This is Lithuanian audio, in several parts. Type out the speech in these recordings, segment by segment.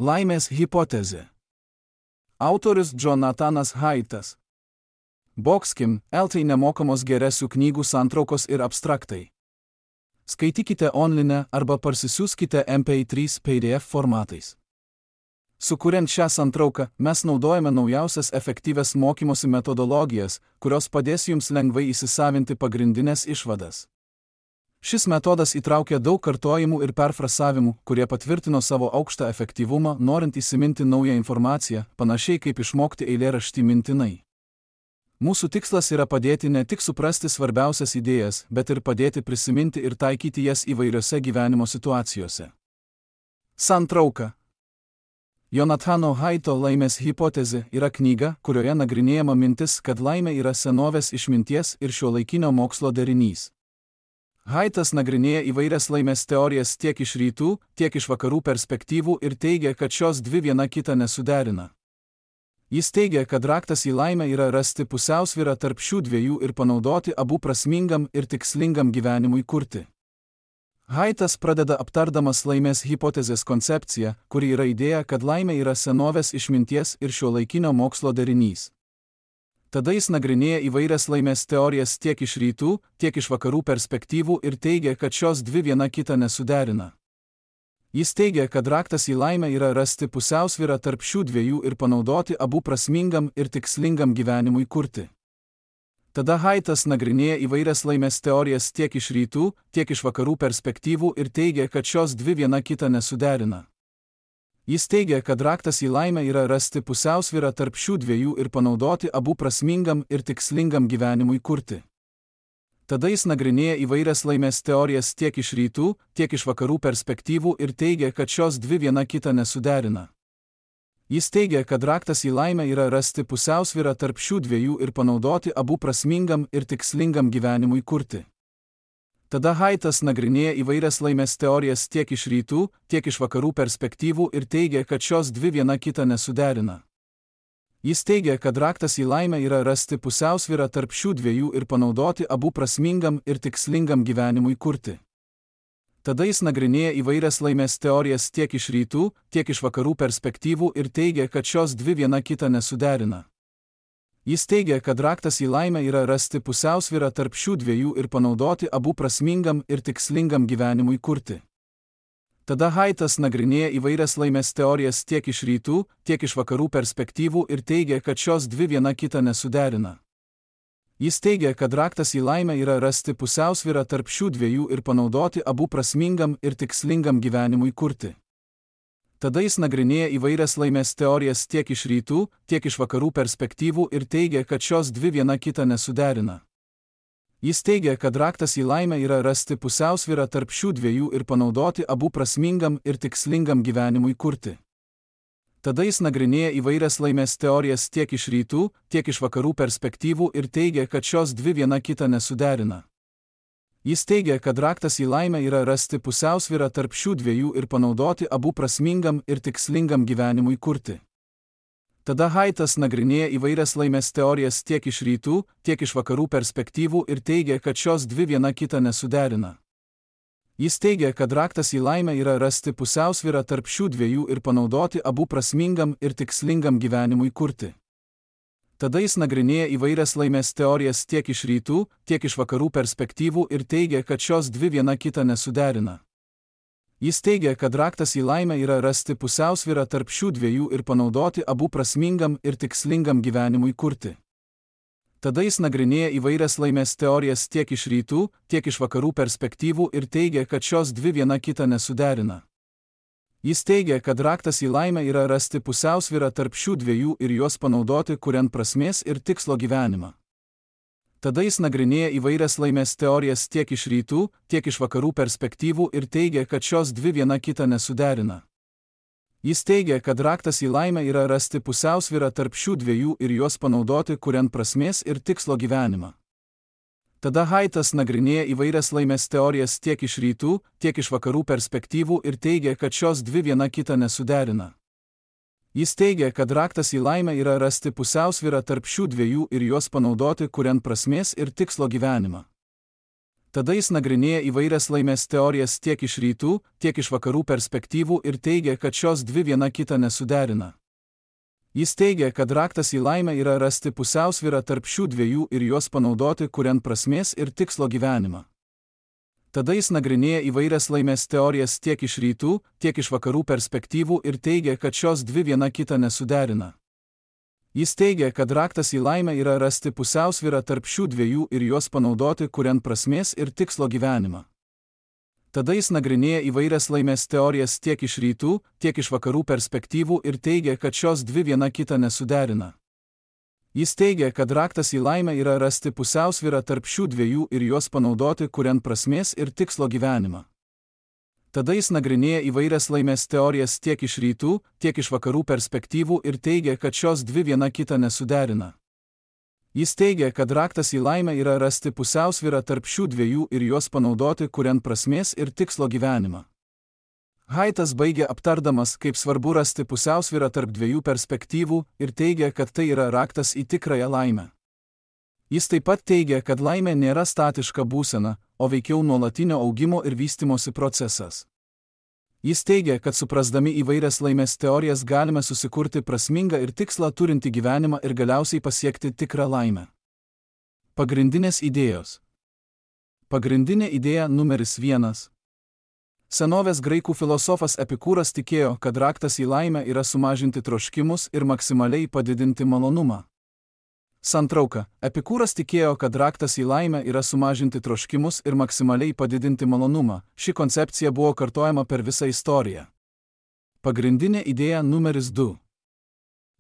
Laimės hipotezė. Autorius Jonathanas Haitas. Boxkim, LT nemokamos geresių knygų santraukos ir abstraktai. Skaitykite online arba parsisiųskite MP3 PDF formatais. Sukuriant šią santrauką, mes naudojame naujausias efektyvias mokymosi metodologijas, kurios padės jums lengvai įsisavinti pagrindinės išvadas. Šis metodas įtraukia daug kartojimų ir perfrasavimų, kurie patvirtino savo aukštą efektyvumą, norint įsiminti naują informaciją, panašiai kaip išmokti eilėraštį mintinai. Mūsų tikslas yra padėti ne tik suprasti svarbiausias idėjas, bet ir padėti prisiminti ir taikyti jas įvairiose gyvenimo situacijose. Santrauka. Jonathano Haito Laimės hipotezė yra knyga, kurioje nagrinėjama mintis, kad laimė yra senovės išminties ir šiuolaikinio mokslo derinys. Haitas nagrinėja įvairias laimės teorijas tiek iš rytų, tiek iš vakarų perspektyvų ir teigia, kad šios dvi viena kitą nesuderina. Jis teigia, kad raktas į laimę yra rasti pusiausvyrą tarp šių dviejų ir panaudoti abu prasmingam ir tikslingam gyvenimui kurti. Haitas pradeda aptardamas laimės hipotezės koncepciją, kuri yra idėja, kad laimė yra senovės išminties ir šiuolaikinio mokslo derinys. Tada jis nagrinėja įvairias laimės teorijas tiek iš rytų, tiek iš vakarų perspektyvų ir teigia, kad šios dvi viena kitą nesuderina. Jis teigia, kad raktas į laimę yra rasti pusiausvyrą tarp šių dviejų ir panaudoti abu prasmingam ir tikslingam gyvenimui kurti. Tada Haitas nagrinėja įvairias laimės teorijas tiek iš rytų, tiek iš vakarų perspektyvų ir teigia, kad šios dvi viena kitą nesuderina. Jis teigia, kad raktas į laimę yra rasti pusiausvyrą tarp šių dviejų ir panaudoti abu prasmingam ir tikslingam gyvenimui kurti. Tada jis nagrinėja įvairias laimės teorijas tiek iš rytų, tiek iš vakarų perspektyvų ir teigia, kad šios dvi viena kitą nesuderina. Jis teigia, kad raktas į laimę yra rasti pusiausvyrą tarp šių dviejų ir panaudoti abu prasmingam ir tikslingam gyvenimui kurti. Tada Haitas nagrinėja įvairias laimės teorijas tiek iš rytų, tiek iš vakarų perspektyvų ir teigia, kad šios dvi viena kitą nesuderina. Jis teigia, kad raktas į laimę yra rasti pusiausvyrą tarp šių dviejų ir panaudoti abu prasmingam ir tikslingam gyvenimui kurti. Tada jis nagrinėja įvairias laimės teorijas tiek iš rytų, tiek iš vakarų perspektyvų ir teigia, kad šios dvi viena kitą nesuderina. Jis teigia, kad raktas į laimę yra rasti pusiausvyrą tarp šių dviejų ir panaudoti abu prasmingam ir tikslingam gyvenimui kurti. Tada Haitas nagrinėja įvairias laimės teorijas tiek iš rytų, tiek iš vakarų perspektyvų ir teigia, kad šios dvi viena kitą nesuderina. Jis teigia, kad raktas į laimę yra rasti pusiausvyrą tarp šių dviejų ir panaudoti abu prasmingam ir tikslingam gyvenimui kurti. Tada jis nagrinėja įvairias laimės teorijas tiek iš rytų, tiek iš vakarų perspektyvų ir teigia, kad šios dvi viena kitą nesuderina. Jis teigia, kad raktas į laimę yra rasti pusiausvyrą tarp šių dviejų ir panaudoti abu prasmingam ir tikslingam gyvenimui kurti. Tada jis nagrinėja įvairias laimės teorijas tiek iš rytų, tiek iš vakarų perspektyvų ir teigia, kad šios dvi viena kitą nesuderina. Jis teigia, kad raktas į laimę yra rasti pusiausvyrą tarp šių dviejų ir panaudoti abu prasmingam ir tikslingam gyvenimui kurti. Tada Haitas nagrinėja įvairias laimės teorijas tiek iš rytų, tiek iš vakarų perspektyvų ir teigia, kad šios dvi viena kitą nesuderina. Jis teigia, kad raktas į laimę yra rasti pusiausvyrą tarp šių dviejų ir panaudoti abu prasmingam ir tikslingam gyvenimui kurti. Tada jis nagrinėja įvairias laimės teorijas tiek iš rytų, tiek iš vakarų perspektyvų ir teigia, kad šios dvi viena kitą nesuderina. Jis teigia, kad raktas į laimę yra rasti pusiausvyrą tarp šių dviejų ir panaudoti abu prasmingam ir tikslingam gyvenimui kurti. Tada jis nagrinėja įvairias laimės teorijas tiek iš rytų, tiek iš vakarų perspektyvų ir teigia, kad šios dvi viena kitą nesuderina. Jis teigia, kad raktas į laimę yra rasti pusiausvyrą tarp šių dviejų ir juos panaudoti kuriant prasmės ir tikslo gyvenimą. Tada jis nagrinėja įvairias laimės teorijas tiek iš rytų, tiek iš vakarų perspektyvų ir teigia, kad šios dvi viena kitą nesuderina. Jis teigia, kad raktas į laimę yra rasti pusiausvyrą tarp šių dviejų ir juos panaudoti kuriant prasmės ir tikslo gyvenimą. Tada Haitas nagrinėja įvairias laimės teorijas tiek iš rytų, tiek iš vakarų perspektyvų ir teigia, kad šios dvi viena kitą nesuderina. Jis teigia, kad raktas į laimę yra rasti pusiausvyrą tarp šių dviejų ir juos panaudoti kuriant prasmės ir tikslo gyvenimą. Tada jis nagrinėja įvairias laimės teorijas tiek iš rytų, tiek iš vakarų perspektyvų ir teigia, kad šios dvi viena kitą nesuderina. Jis teigia, kad raktas į laimę yra rasti pusiausvyrą tarp šių dviejų ir juos panaudoti, kuriant prasmės ir tikslo gyvenimą. Tada jis nagrinėja įvairias laimės teorijas tiek iš rytų, tiek iš vakarų perspektyvų ir teigia, kad šios dvi viena kitą nesuderina. Jis teigia, kad raktas į laimę yra rasti pusiausvyrą tarp šių dviejų ir juos panaudoti, kuriant prasmės ir tikslo gyvenimą. Tada jis nagrinėja įvairias laimės teorijas tiek iš rytų, tiek iš vakarų perspektyvų ir teigia, kad šios dvi viena kitą nesuderina. Jis teigia, kad raktas į laimę yra rasti pusiausvyrą tarp šių dviejų ir juos panaudoti, kuriant prasmės ir tikslo gyvenimą. Tada jis nagrinėja įvairias laimės teorijas tiek iš rytų, tiek iš vakarų perspektyvų ir teigia, kad šios dvi viena kitą nesuderina. Jis teigia, kad raktas į laimę yra rasti pusiausvyrą tarp šių dviejų ir juos panaudoti, kuriant prasmės ir tikslo gyvenimą. Haitas baigia aptardamas, kaip svarbu rasti pusiausvyrą tarp dviejų perspektyvų ir teigia, kad tai yra raktas į tikrąją laimę. Jis taip pat teigia, kad laimė nėra statiška būsena, o veikiau nuolatinio augimo ir vystymosi procesas. Jis teigia, kad suprasdami įvairias laimės teorijas galime susikurti prasmingą ir tikslą turintį gyvenimą ir galiausiai pasiekti tikrą laimę. Pagrindinės idėjos. Pagrindinė idėja numeris 1. Senovės graikų filosofas Epikūras tikėjo, kad raktas į laimę yra sumažinti troškimus ir maksimaliai padidinti malonumą. Santrauka. Epikūras tikėjo, kad raktas į laimę yra sumažinti troškimus ir maksimaliai padidinti malonumą. Ši koncepcija buvo kartojama per visą istoriją. Pagrindinė idėja numeris 2.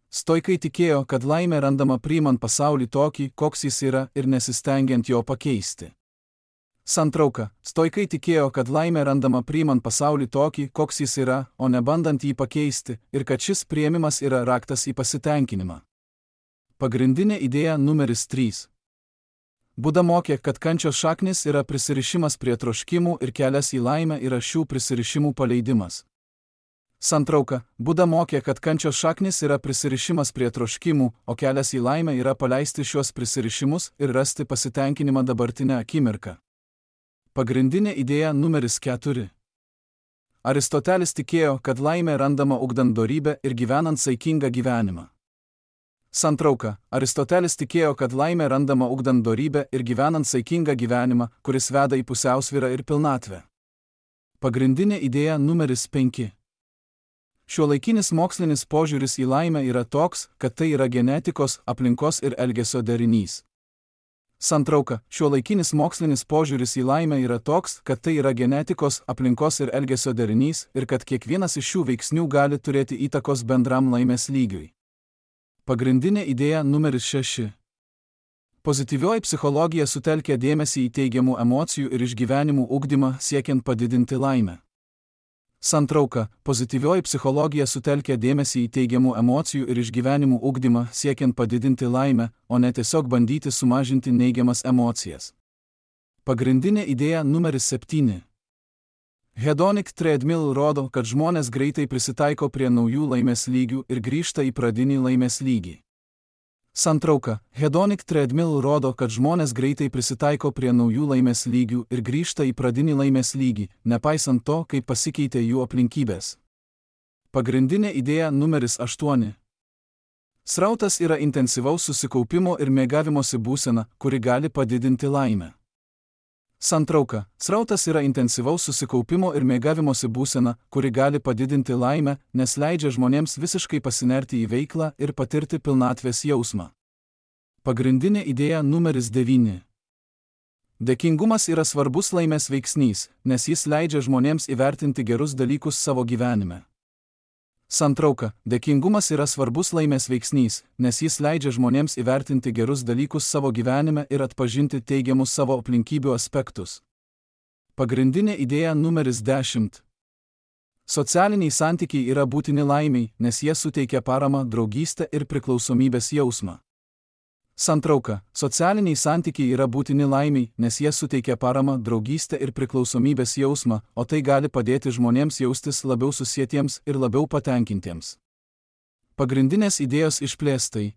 Stoikai tikėjo, kad laimė randama priimant pasaulį tokį, koks jis yra, ir nesistengiant jo pakeisti. Santrauka. Stoikai tikėjo, kad laimė randama priimant pasaulį tokį, koks jis yra, o ne bandant jį pakeisti, ir kad šis priėmimas yra raktas į pasitenkinimą. Pagrindinė idėja numeris 3. Buda mokė, kad kančios šaknis yra prisirišimas prie troškimų ir kelias į laimę yra šių prisirišimų paleidimas. Santrauka. Buda mokė, kad kančios šaknis yra prisirišimas prie troškimų, o kelias į laimę yra paleisti šios prisirišimus ir rasti pasitenkinimą dabartinę akimirką. Pagrindinė idėja numeris 4. Aristotelis tikėjo, kad laimė randama ugdant dorybę ir gyvenant saikingą gyvenimą. Santrauka. Aristotelis tikėjo, kad laimė randama ugdant dorybę ir gyvenant saikingą gyvenimą, kuris veda į pusiausvyrą ir pilnatvę. Pagrindinė idėja numeris 5. Šiuolaikinis mokslinis požiūris į laimę yra toks, kad tai yra genetikos, aplinkos ir elgesio derinys. Santrauka. Šiuolaikinis mokslinis požiūris į laimę yra toks, kad tai yra genetikos, aplinkos ir elgesio derinys ir kad kiekvienas iš šių veiksnių gali turėti įtakos bendram laimės lygiui. Pagrindinė idėja numeris 6. Pozityvioji psichologija sutelkia dėmesį į teigiamų emocijų ir išgyvenimų ugdymą siekiant padidinti laimę. Santrauka. Pozityvioji psichologija sutelkia dėmesį į teigiamų emocijų ir išgyvenimų ugdymą siekiant padidinti laimę, o ne tiesiog bandyti sumažinti neigiamas emocijas. Pagrindinė idėja numeris 7. Hedonic treadmill rodo, kad žmonės greitai prisitaiko prie naujų laimės lygių ir grįžta į pradinį laimės lygį. Santrauka. Hedonic treadmill rodo, kad žmonės greitai prisitaiko prie naujų laimės lygių ir grįžta į pradinį laimės lygį, nepaisant to, kaip pasikeitė jų aplinkybės. Pagrindinė idėja numeris 8. Srautas yra intensyvaus susikaupimo ir mėgavimosi būsena, kuri gali padidinti laimę. Santrauka. Srautas yra intensyvaus susikaupimo ir mėgavimosi būsena, kuri gali padidinti laimę, nes leidžia žmonėms visiškai pasinerti į veiklą ir patirti pilnatvės jausmą. Pagrindinė idėja numeris 9. Dėkingumas yra svarbus laimės veiksnys, nes jis leidžia žmonėms įvertinti gerus dalykus savo gyvenime. Santrauka. Dėkingumas yra svarbus laimės veiksnys, nes jis leidžia žmonėms įvertinti gerus dalykus savo gyvenime ir atpažinti teigiamus savo aplinkybių aspektus. Pagrindinė idėja numeris 10. Socialiniai santykiai yra būtini laimiai, nes jie suteikia paramą, draugystę ir priklausomybės jausmą. Santrauka. Socialiniai santykiai yra būtini laimiai, nes jie suteikia paramą, draugystę ir priklausomybės jausmą, o tai gali padėti žmonėms jaustis labiau susietiems ir labiau patenkintiems. Pagrindinės idėjos išplėstai.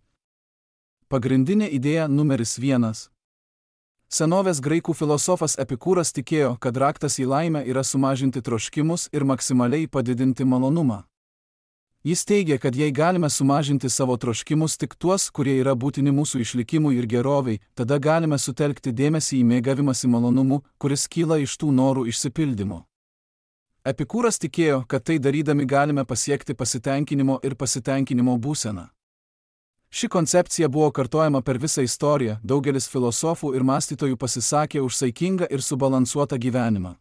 Pagrindinė idėja numeris 1. Senovės graikų filosofas Epikūras tikėjo, kad raktas į laimę yra sumažinti troškimus ir maksimaliai padidinti malonumą. Jis teigia, kad jei galime sumažinti savo troškimus tik tuos, kurie yra būtini mūsų išlikimui ir geroviai, tada galime sutelkti dėmesį į mėgavimąsi malonumu, kuris kyla iš tų norų išsipildymo. Epikūras tikėjo, kad tai darydami galime pasiekti pasitenkinimo ir pasitenkinimo būseną. Ši koncepcija buvo kartojama per visą istoriją, daugelis filosofų ir mąstytojų pasisakė už saikingą ir subalansuotą gyvenimą.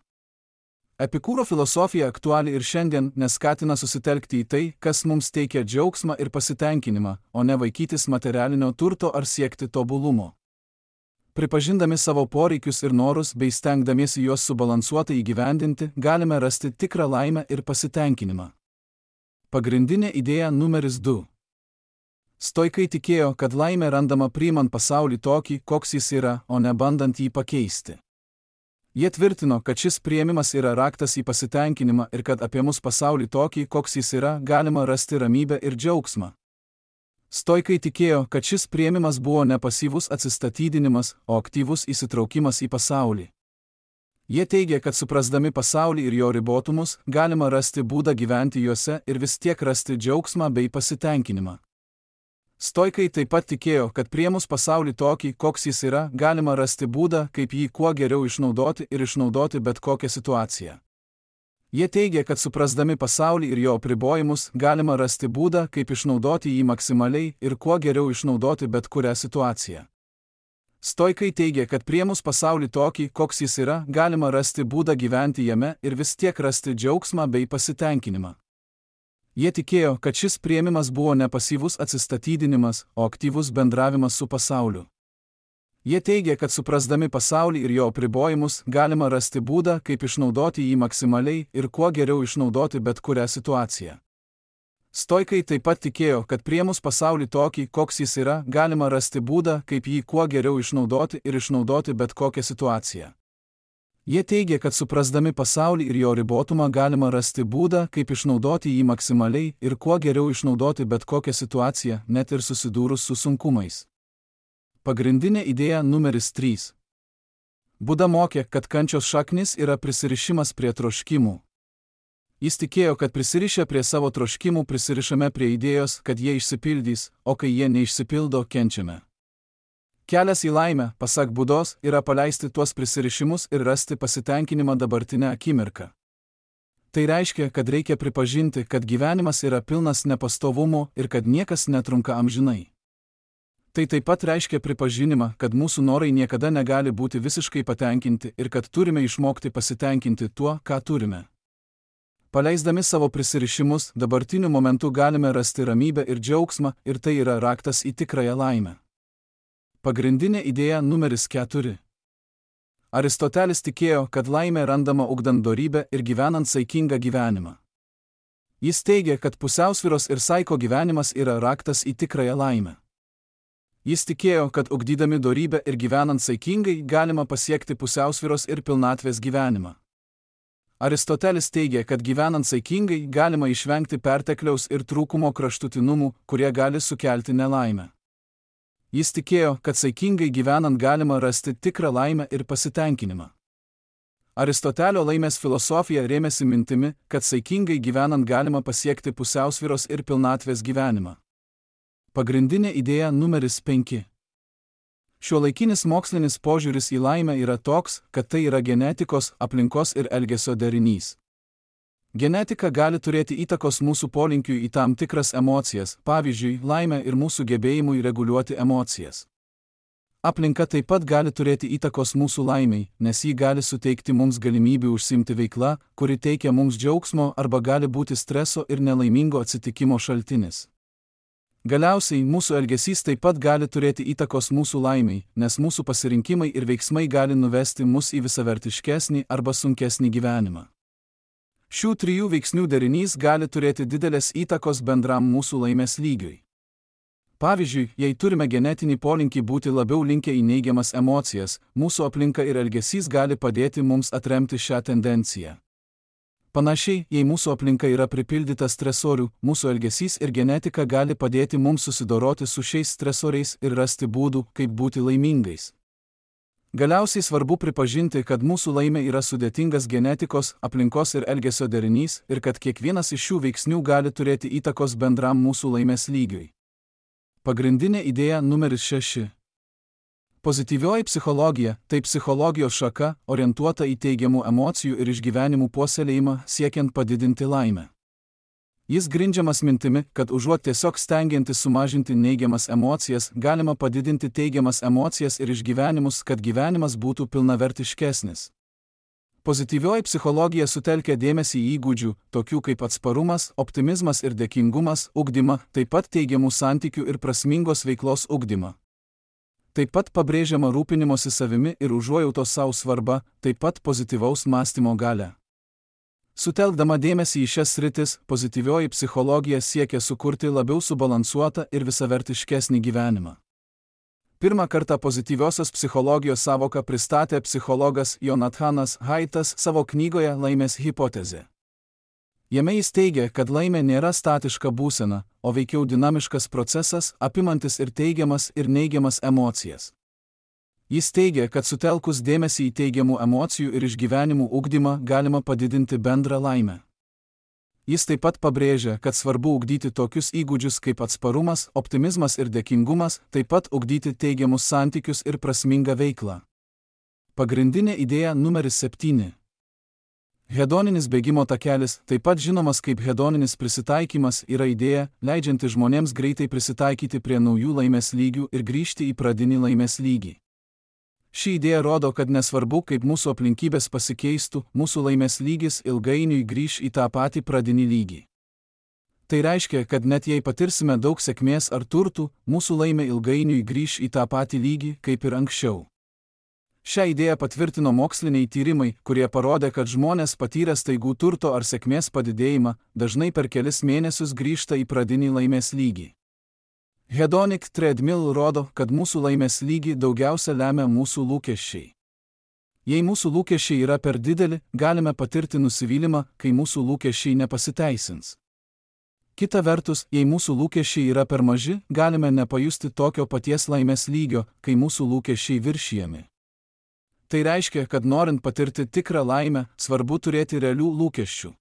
Epikūro filosofija aktuali ir šiandien, nes skatina susitelkti į tai, kas mums teikia džiaugsmą ir pasitenkinimą, o ne vaikytis materialinio turto ar siekti tobulumo. Pripažindami savo poreikius ir norus bei stengdamiesi juos subalansuotai įgyvendinti, galime rasti tikrą laimę ir pasitenkinimą. Pagrindinė idėja numeris 2. Stoikai tikėjo, kad laimė randama priimant pasaulį tokį, koks jis yra, o ne bandant jį pakeisti. Jie tvirtino, kad šis priėmimas yra raktas į pasitenkinimą ir kad apie mus pasaulį tokį, koks jis yra, galima rasti ramybę ir džiaugsmą. Stoikai tikėjo, kad šis priėmimas buvo ne pasyvus atsistatydinimas, o aktyvus įsitraukimas į pasaulį. Jie teigia, kad suprasdami pasaulį ir jo ribotumus, galima rasti būdą gyventi juose ir vis tiek rasti džiaugsmą bei pasitenkinimą. Stoikai taip pat tikėjo, kad priėmus pasaulį tokį, koks jis yra, galima rasti būdą, kaip jį kuo geriau išnaudoti ir išnaudoti bet kokią situaciją. Jie teigia, kad suprasdami pasaulį ir jo apribojimus, galima rasti būdą, kaip išnaudoti jį maksimaliai ir kuo geriau išnaudoti bet kurią situaciją. Stoikai teigia, kad priėmus pasaulį tokį, koks jis yra, galima rasti būdą gyventi jame ir vis tiek rasti džiaugsmą bei pasitenkinimą. Jie tikėjo, kad šis priėmimas buvo ne pasyvus atsistatydinimas, o aktyvus bendravimas su pasauliu. Jie teigia, kad suprasdami pasaulį ir jo apribojimus, galima rasti būdą, kaip išnaudoti jį maksimaliai ir kuo geriau išnaudoti bet kurią situaciją. Stoikai taip pat tikėjo, kad priėmus pasaulį tokį, koks jis yra, galima rasti būdą, kaip jį kuo geriau išnaudoti ir išnaudoti bet kokią situaciją. Jie teigia, kad suprasdami pasaulį ir jo ribotumą galima rasti būdą, kaip išnaudoti jį maksimaliai ir kuo geriau išnaudoti bet kokią situaciją, net ir susidūrus su sunkumais. Pagrindinė idėja numeris 3. Buda mokė, kad kančios šaknis yra prisirišimas prie troškimų. Jis tikėjo, kad prisirišę prie savo troškimų prisirišame prie idėjos, kad jie išsipildys, o kai jie neišsipildo, kenčiame. Kelias į laimę, pasak Budos, yra paleisti tuos prisirišimus ir rasti pasitenkinimą dabartinę akimirką. Tai reiškia, kad reikia pripažinti, kad gyvenimas yra pilnas nepastovumo ir kad niekas netrunka amžinai. Tai taip pat reiškia pripažinimą, kad mūsų norai niekada negali būti visiškai patenkinti ir kad turime išmokti pasitenkinti tuo, ką turime. Paleisdami savo prisirišimus, dabartiniu momentu galime rasti ramybę ir džiaugsmą ir tai yra raktas į tikrąją laimę. Pagrindinė idėja numeris 4. Aristotelis tikėjo, kad laimė randama ugdant dorybę ir gyvenant saikingą gyvenimą. Jis teigia, kad pusiausvyros ir saiko gyvenimas yra raktas į tikrąją laimę. Jis tikėjo, kad ugdydami dorybę ir gyvenant saikingai galima pasiekti pusiausvyros ir pilnatvės gyvenimą. Aristotelis teigia, kad gyvenant saikingai galima išvengti pertekliaus ir trūkumo kraštutinumų, kurie gali sukelti nelaimę. Jis tikėjo, kad saikingai gyvenant galima rasti tikrą laimę ir pasitenkinimą. Aristotelio laimės filosofija rėmėsi mintimi, kad saikingai gyvenant galima pasiekti pusiausvyros ir pilnatvės gyvenimą. Pagrindinė idėja numeris 5. Šiuolaikinis mokslinis požiūris į laimę yra toks, kad tai yra genetikos, aplinkos ir elgesio derinys. Genetika gali turėti įtakos mūsų polinkiui į tam tikras emocijas, pavyzdžiui, laimę ir mūsų gebėjimui reguliuoti emocijas. Aplinka taip pat gali turėti įtakos mūsų laimiai, nes ji gali suteikti mums galimybių užsiimti veiklą, kuri teikia mums džiaugsmo arba gali būti streso ir nelaimingo atsitikimo šaltinis. Galiausiai, mūsų elgesys taip pat gali turėti įtakos mūsų laimiai, nes mūsų pasirinkimai ir veiksmai gali nuvesti mus į visavertiškesnį arba sunkesnį gyvenimą. Šių 3 veiksnių derinys gali turėti didelės įtakos bendram mūsų laimės lygiui. Pavyzdžiui, jei turime genetinį polinkį būti labiau linkę į neigiamas emocijas, mūsų aplinka ir elgesys gali padėti mums atremti šią tendenciją. Panašiai, jei mūsų aplinka yra pripildyta stresorių, mūsų elgesys ir genetika gali padėti mums susidoroti su šiais stresoriais ir rasti būdų, kaip būti laimingais. Galiausiai svarbu pripažinti, kad mūsų laimė yra sudėtingas genetikos, aplinkos ir elgesio derinys ir kad kiekvienas iš šių veiksnių gali turėti įtakos bendram mūsų laimės lygiui. Pagrindinė idėja numeris 6. Pozityvioji psichologija – tai psichologijos šaka, orientuota į teigiamų emocijų ir išgyvenimų puoselėjimą, siekiant padidinti laimę. Jis grindžiamas mintimi, kad užuot tiesiog stengiantis sumažinti neigiamas emocijas, galima padidinti teigiamas emocijas ir išgyvenimus, kad gyvenimas būtų pilnavertiškesnis. Pozityvioji psichologija sutelkia dėmesį į įgūdžių, tokių kaip atsparumas, optimizmas ir dėkingumas, ugdymą, taip pat teigiamų santykių ir prasmingos veiklos ugdymą. Taip pat pabrėžiama rūpinimosi savimi ir užuojautos savo svarba, taip pat pozityvaus mąstymo galia. Sutelkdama dėmesį į šias sritis, pozityvioji psichologija siekia sukurti labiau subalansuotą ir visavertiškesnį gyvenimą. Pirmą kartą pozityviosios psichologijos savoką pristatė psichologas Jonathanas Haitas savo knygoje Laimės hipotezė. Jame jis teigia, kad laimė nėra statiška būsena, o veikiau dinamiškas procesas, apimantis ir teigiamas ir neigiamas emocijas. Jis teigia, kad sutelkus dėmesį į teigiamų emocijų ir išgyvenimų ugdymą galima padidinti bendrą laimę. Jis taip pat pabrėžia, kad svarbu ugdyti tokius įgūdžius kaip atsparumas, optimizmas ir dėkingumas, taip pat ugdyti teigiamus santykius ir prasmingą veiklą. Pagrindinė idėja numeris 7. Hedoninis bėgimo takelis, taip pat žinomas kaip hedoninis prisitaikymas, yra idėja, leidžianti žmonėms greitai prisitaikyti prie naujų laimės lygių ir grįžti į pradinį laimės lygį. Ši idėja rodo, kad nesvarbu, kaip mūsų aplinkybės pasikeistų, mūsų laimės lygis ilgainiui grįš į tą patį pradinį lygį. Tai reiškia, kad net jei patirsime daug sėkmės ar turtų, mūsų laimė ilgainiui grįš į tą patį lygį, kaip ir anksčiau. Šią idėją patvirtino moksliniai tyrimai, kurie parodė, kad žmonės patyrę staigų turto ar sėkmės padidėjimą, dažnai per kelis mėnesius grįžta į pradinį laimės lygį. Hedonic treadmill rodo, kad mūsų laimės lygį daugiausia lemia mūsų lūkesčiai. Jei mūsų lūkesčiai yra per dideli, galime patirti nusivylimą, kai mūsų lūkesčiai nepasiteisins. Kita vertus, jei mūsų lūkesčiai yra per maži, galime nepajusti tokio paties laimės lygio, kai mūsų lūkesčiai viršijami. Tai reiškia, kad norint patirti tikrą laimę, svarbu turėti realių lūkesčių.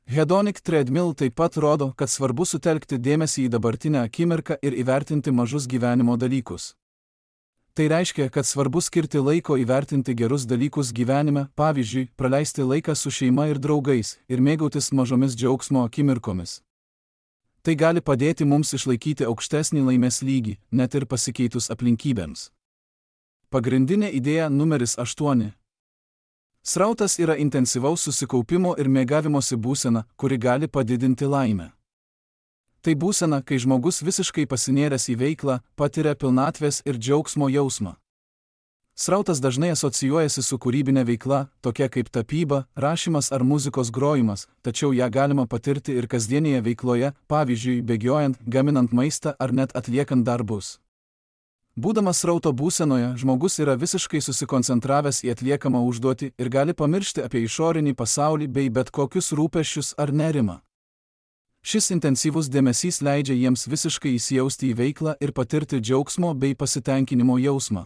Hedonic treadmill taip pat rodo, kad svarbu sutelkti dėmesį į dabartinę akimirką ir įvertinti mažus gyvenimo dalykus. Tai reiškia, kad svarbu skirti laiko įvertinti gerus dalykus gyvenime, pavyzdžiui, praleisti laiką su šeima ir draugais ir mėgautis mažomis džiaugsmo akimirkomis. Tai gali padėti mums išlaikyti aukštesnį laimės lygį, net ir pasikeitus aplinkybėms. Pagrindinė idėja numeris 8. Srautas yra intensyvaus susikaupimo ir mėgavimosi būsena, kuri gali padidinti laimę. Tai būsena, kai žmogus visiškai pasinėręs į veiklą, patiria pilnatvės ir džiaugsmo jausmą. Srautas dažnai asocijuojasi su kūrybinė veikla, tokia kaip tapyba, rašymas ar muzikos grojimas, tačiau ją galima patirti ir kasdienėje veikloje, pavyzdžiui, bėgiojant, gaminant maistą ar net atliekant darbus. Būdamas srauto būsenoje, žmogus yra visiškai susikoncentravęs į atliekamą užduotį ir gali pamiršti apie išorinį pasaulį bei bet kokius rūpesčius ar nerimą. Šis intensyvus dėmesys leidžia jiems visiškai įsijausti į veiklą ir patirti džiaugsmo bei pasitenkinimo jausmą.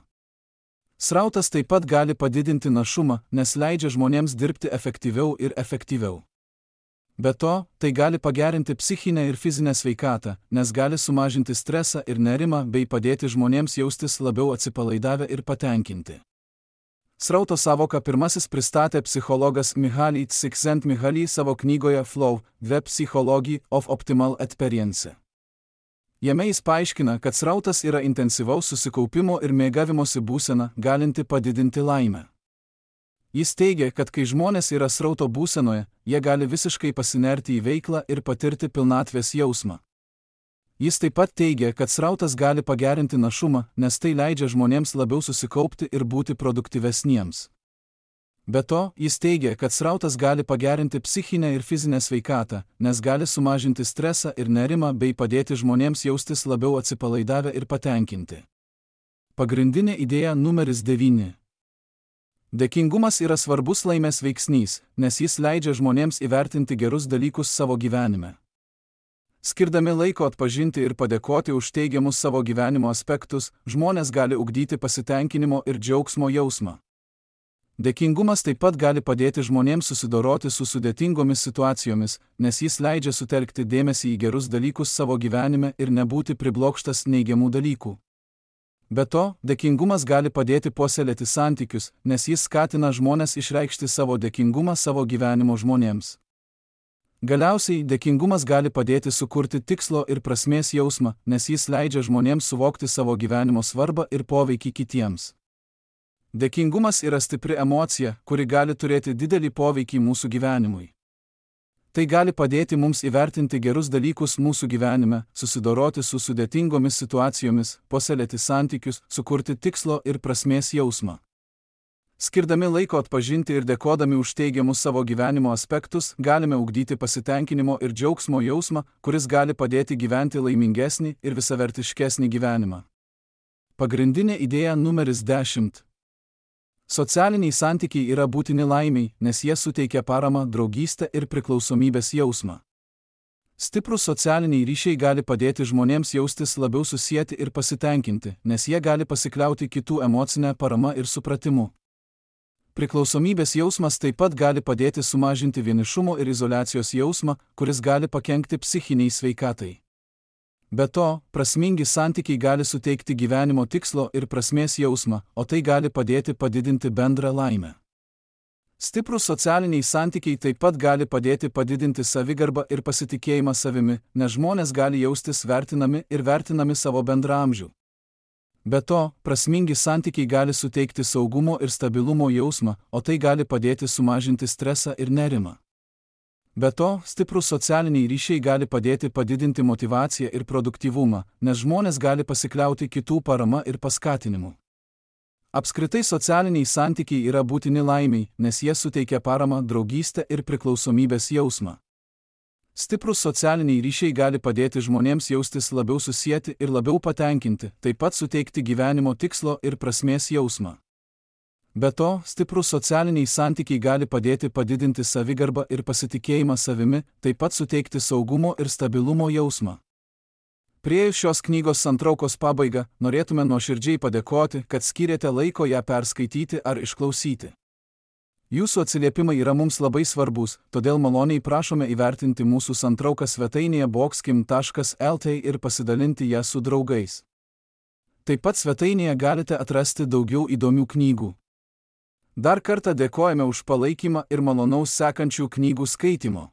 Srautas taip pat gali padidinti našumą, nes leidžia žmonėms dirbti efektyviau ir efektyviau. Be to, tai gali pagerinti psichinę ir fizinę sveikatą, nes gali sumažinti stresą ir nerimą bei padėti žmonėms jaustis labiau atsipalaidavę ir patenkinti. Srauto savoką pirmasis pristatė psichologas Mihaly Csikszentmihalyi savo knygoje Flow – The Psychology of Optimal Experience. Jame jis paaiškina, kad srautas yra intensyvaus susikaupimo ir mėgavimosi būsena, galinti padidinti laimę. Jis teigia, kad kai žmonės yra srauto būsenoje, jie gali visiškai pasinerti į veiklą ir patirti pilnatvės jausmą. Jis taip pat teigia, kad srautas gali pagerinti našumą, nes tai leidžia žmonėms labiau susikaupti ir būti produktyvesniems. Be to, jis teigia, kad srautas gali pagerinti psichinę ir fizinę sveikatą, nes gali sumažinti stresą ir nerimą bei padėti žmonėms jaustis labiau atsipalaidavę ir patenkinti. Pagrindinė idėja numeris 9. Dėkingumas yra svarbus laimės veiksnys, nes jis leidžia žmonėms įvertinti gerus dalykus savo gyvenime. Skirdami laiko atpažinti ir padėkoti už teigiamus savo gyvenimo aspektus, žmonės gali ugdyti pasitenkinimo ir džiaugsmo jausmą. Dėkingumas taip pat gali padėti žmonėms susidoroti su sudėtingomis situacijomis, nes jis leidžia sutelkti dėmesį į gerus dalykus savo gyvenime ir nebūti priblokštas neigiamų dalykų. Be to, dėkingumas gali padėti puoselėti santykius, nes jis skatina žmones išreikšti savo dėkingumą savo gyvenimo žmonėms. Galiausiai, dėkingumas gali padėti sukurti tikslo ir prasmės jausmą, nes jis leidžia žmonėms suvokti savo gyvenimo svarbą ir poveikį kitiems. Dėkingumas yra stipri emocija, kuri gali turėti didelį poveikį mūsų gyvenimui. Tai gali padėti mums įvertinti gerus dalykus mūsų gyvenime, susidoroti su sudėtingomis situacijomis, puoselėti santykius, sukurti tikslo ir prasmės jausmą. Skirdami laiko atpažinti ir dėkodami už teigiamus savo gyvenimo aspektus, galime ugdyti pasitenkinimo ir džiaugsmo jausmą, kuris gali padėti gyventi laimingesnį ir visavertiškesnį gyvenimą. Pagrindinė idėja numeris 10. Socialiniai santykiai yra būtini laimiai, nes jie suteikia paramą, draugystę ir priklausomybės jausmą. Stiprūs socialiniai ryšiai gali padėti žmonėms jaustis labiau susieti ir pasitenkinti, nes jie gali pasikliauti kitų emocinę paramą ir supratimu. Priklausomybės jausmas taip pat gali padėti sumažinti vienišumo ir izoliacijos jausmą, kuris gali pakenkti psichiniai sveikatai. Be to, prasmingi santykiai gali suteikti gyvenimo tikslo ir prasmės jausmą, o tai gali padėti padidinti bendrą laimę. Stiprūs socialiniai santykiai taip pat gali padėti padidinti savigarbą ir pasitikėjimą savimi, nes žmonės gali jaustis vertinami ir vertinami savo bendraamžių. Be to, prasmingi santykiai gali suteikti saugumo ir stabilumo jausmą, o tai gali padėti sumažinti stresą ir nerimą. Be to, stiprūs socialiniai ryšiai gali padėti padidinti motyvaciją ir produktyvumą, nes žmonės gali pasikliauti kitų parama ir paskatinimu. Apskritai socialiniai santykiai yra būtini laimiai, nes jie suteikia paramą, draugystę ir priklausomybės jausmą. Stiprūs socialiniai ryšiai gali padėti žmonėms jaustis labiau susieti ir labiau patenkinti, taip pat suteikti gyvenimo tikslo ir prasmės jausmą. Be to, stiprūs socialiniai santykiai gali padėti padidinti savigarbą ir pasitikėjimą savimi, taip pat suteikti saugumo ir stabilumo jausmą. Priėjus šios knygos santraukos pabaigą, norėtume nuoširdžiai padėkoti, kad skyrėte laiko ją perskaityti ar išklausyti. Jūsų atsiliepimai yra mums labai svarbus, todėl maloniai prašome įvertinti mūsų santrauką svetainėje boxkim.lt ir pasidalinti ją su draugais. Taip pat svetainėje galite atrasti daugiau įdomių knygų. Dar kartą dėkojame už palaikymą ir malonaus sekančių knygų skaitimo.